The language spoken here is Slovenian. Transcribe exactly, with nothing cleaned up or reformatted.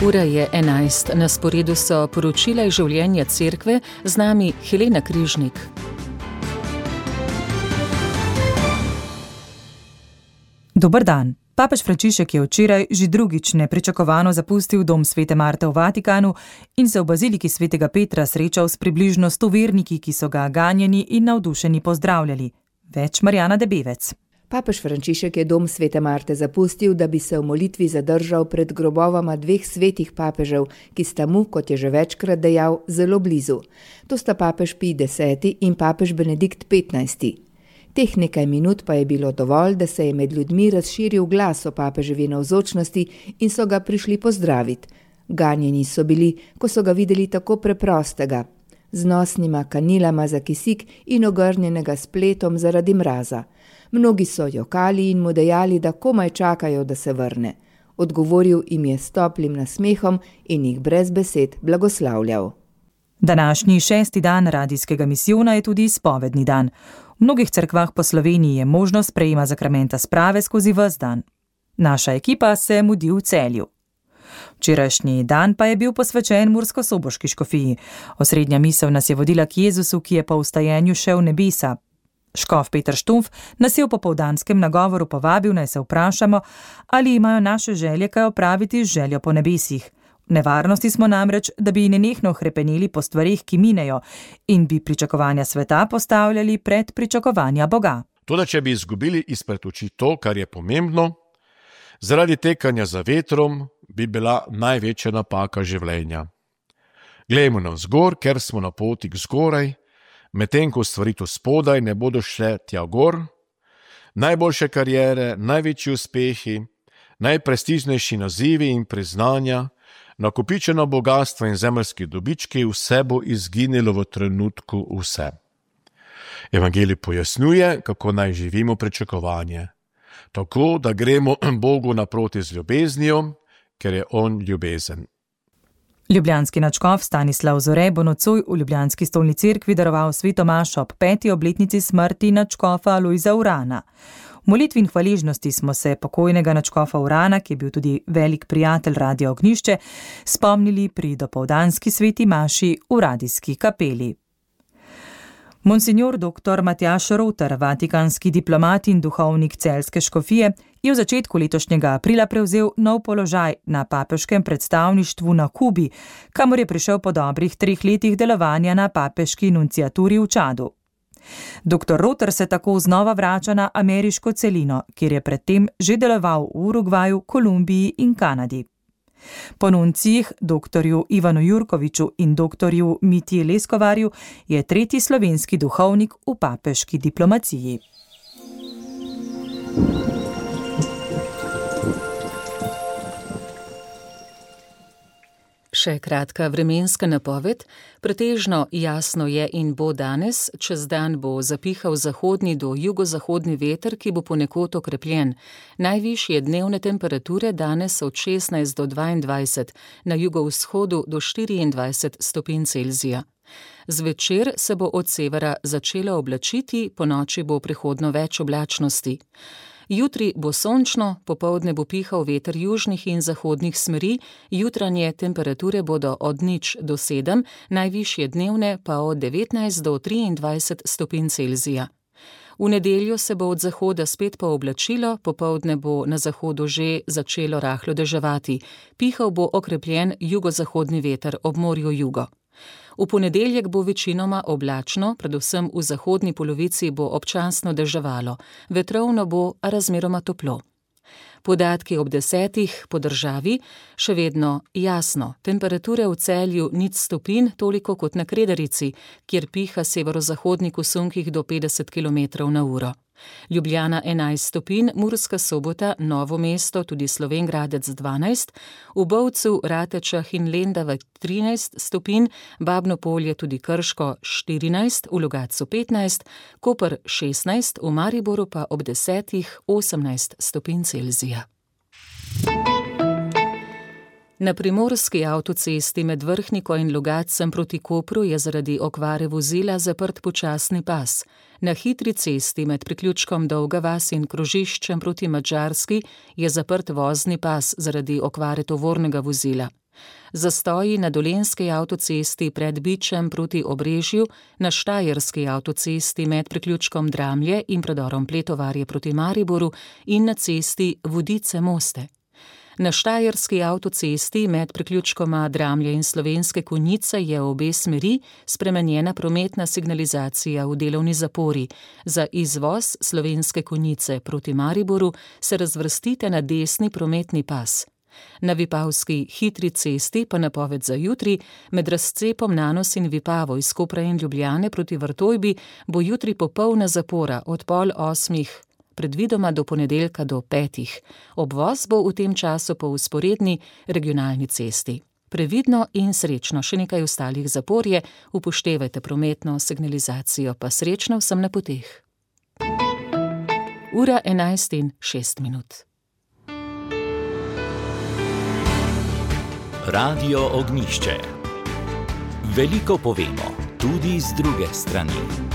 Ura je enajst, na sporedu so poročila iz življenja cerkve, z nami Helena Križnik. Dober dan. Papež Frančišek je včeraj že drugič nepričakovano zapustil dom Svete Marte v Vatikanu in se v baziliki Svetega Petra srečal s približno sto verniki, ki so ga ganjeni in navdušeni pozdravljali. Več Marjana Debevec. Papež Frančišek je dom Svete Marte zapustil, da bi se v molitvi zadržal pred grobovama dveh svetih papežev, ki sta mu, kot je že večkrat dejal, zelo blizu. To sta papež Pij deseti in papež Benedikt petnajsti. Teh nekaj minut pa je bilo dovolj, da se je med ljudmi razširil glas o papeževi navzočnosti in so ga prišli pozdraviti. Ganjeni so bili, ko so ga videli tako preprostega, z nosnima kanilama za kisik in ogrnjenega s pletom zaradi mraza. Mnogi so jokali in mu dejali, da komaj čakajo, da se vrne. Odgovoril jim je s toplim nasmehom in jih brez besed blagoslavljal. Današnji šesti dan radijskega misijona je tudi spovedni dan. V mnogih cerkvah po Sloveniji je možnost sprejema zakramenta sprave skozi ves dan. Naša ekipa se mudi v Celju. Včerajšnji dan pa je bil posvečen murskosoboški škofiji. Osrednja misel nas je vodila k Jezusu, ki je po vstajenju šel v nebesa. Škof Peter Štumf nas je v popoldanskem nagovoru povabil, naj se vprašamo, ali imajo naše želje kaj opraviti z željo po nebesih. V nevarnosti smo namreč, da bi nenehno hrepeneli po stvarih, ki minejo, in bi pričakovanja sveta postavljali pred pričakovanja Boga. Toda če bi izgubili izpred oči to, kar je pomembno, zaradi tekanja za vetrom bi bila največja napaka življenja. Glejmo navzgor, ker smo na poti k zgoraj, medtem ko stvari tu spodaj ne bodo šle tja gor, najboljše kariere, največji uspehi, najprestižnejši nazivi in priznanja, nakopičeno bogatstvo in zemeljski dobički, vse bo izginilo v trenutku vse. Evangelij pojasnjuje, kako naj živimo pričakovanje. Tako, da gremo Bogu naproti z ljubeznijo, ker je on ljubezen. Ljubljanski nadškof Stanislav Zore bo nocoj v ljubljanski stolni cerkvi daroval sveto mašo ob peti obletnici smrti nadškofa Lojza Urana. V molitvi in hvaležnosti smo se pokojnega nadškofa Urana, ki je bil tudi velik prijatelj Radia Ognjišče, spomnili pri dopoldanski sveti maši v radijski kapeli. Monsignor doktor Matjaž Roter, vatikanski diplomat in duhovnik celjske škofije, je v začetku letošnjega aprila prevzel nov položaj na papeškem predstavništvu na Kubi, kamor je prišel po dobrih treh letih delovanja na papeški nunciaturi v Čadu. Doktor Roter se tako znova vrača na ameriško celino, kjer je predtem že deloval v Urugvaju, Kolumbiji in Kanadi. Po nuncijih doktorju Ivanu Jurkoviču in doktorju Mitji Leskovarju je tretji slovenski duhovnik v papeški diplomaciji. Še kratka vremenska napoved. Pretežno jasno je in bo danes, čez dan bo zapihal zahodni do jugozahodni veter, ki bo ponekod okrepljen. Najvišje dnevne temperature danes od šestnajst do dvaindvajset, na jugovzhodu do štiriindvajset stopinj Celzija. Zvečer se bo od severa začelo oblačiti, ponoči bo prehodno več oblačnosti. Jutri bo sončno, popoldne bo pihal veter južnih in zahodnih smeri, jutranje temperature bodo od nič do sedem, najvišje dnevne pa od devetnajst do triindvajset stopinj Celzija. V nedeljo se bo od zahoda spet pooblačilo, popoldne bo na zahodu že začelo rahlo deževati, pihal bo okrepljen jugozahodni veter ob morju jugo. V ponedeljek bo večinoma oblačno, predvsem v zahodni polovici bo občasno deževalo, vetrovno bo, a razmeroma toplo. Podatki ob desetih po državi, še vedno jasno, temperature v Celju nič stopinj, toliko kot na Kredarici, kjer piha severozahodnik v sunkih do petdeset kilometrov na uro. Ljubljana enajst stopinj, Murska Sobota, Novo mesto, tudi Slovenj Gradec dvanajst, v Bovcu, Ratečah in Lendava trinajst stopinj, Babno Polje tudi Krško štirinajst, v Logatcu petnajst, Koper šestnajst, v Mariboru pa ob desetih osemnajst stopinj Celzija. Na primorski avtocesti med Vrhniko in Logatcem proti Kopru je zaradi okvare vozila zaprt počasni pas. Na hitri cesti med priključkom Dolga vas in krožiščem proti Madžarski je zaprt vozni pas zaradi okvare tovornega vozila. Zastoji na dolenjski avtocesti pred Bičem proti Obrežju, na štajerski avtocesti med priključkom Dramlje in predorom Pletovarje proti Mariboru in na cesti Vodice-Moste. Na štajerski avtocesti med priključkoma Dramlje in Slovenske Konjice je v obe smeri spremenjena prometna signalizacija v delovni zapori. Za izvoz Slovenske Konjice proti Mariboru se razvrstite na desni prometni pas. Na Vipavski hitri cesti pa napoved za jutri, med razcepom Nanos in Vipavo iz Kopra in Ljubljane proti Vrtojbi bo jutri popolna zapora od pol osmih, predvidoma do ponedeljka do petih. Obvoz bo v tem času po vzporedni regionalni cesti. Previdno in srečno, še nekaj ostalih zapor je, upoštevajte prometno signalizacijo, pa srečno vsem na poteh. Ura enajst in šest minut. Radio Ognjišče. Veliko povemo, tudi z druge strani.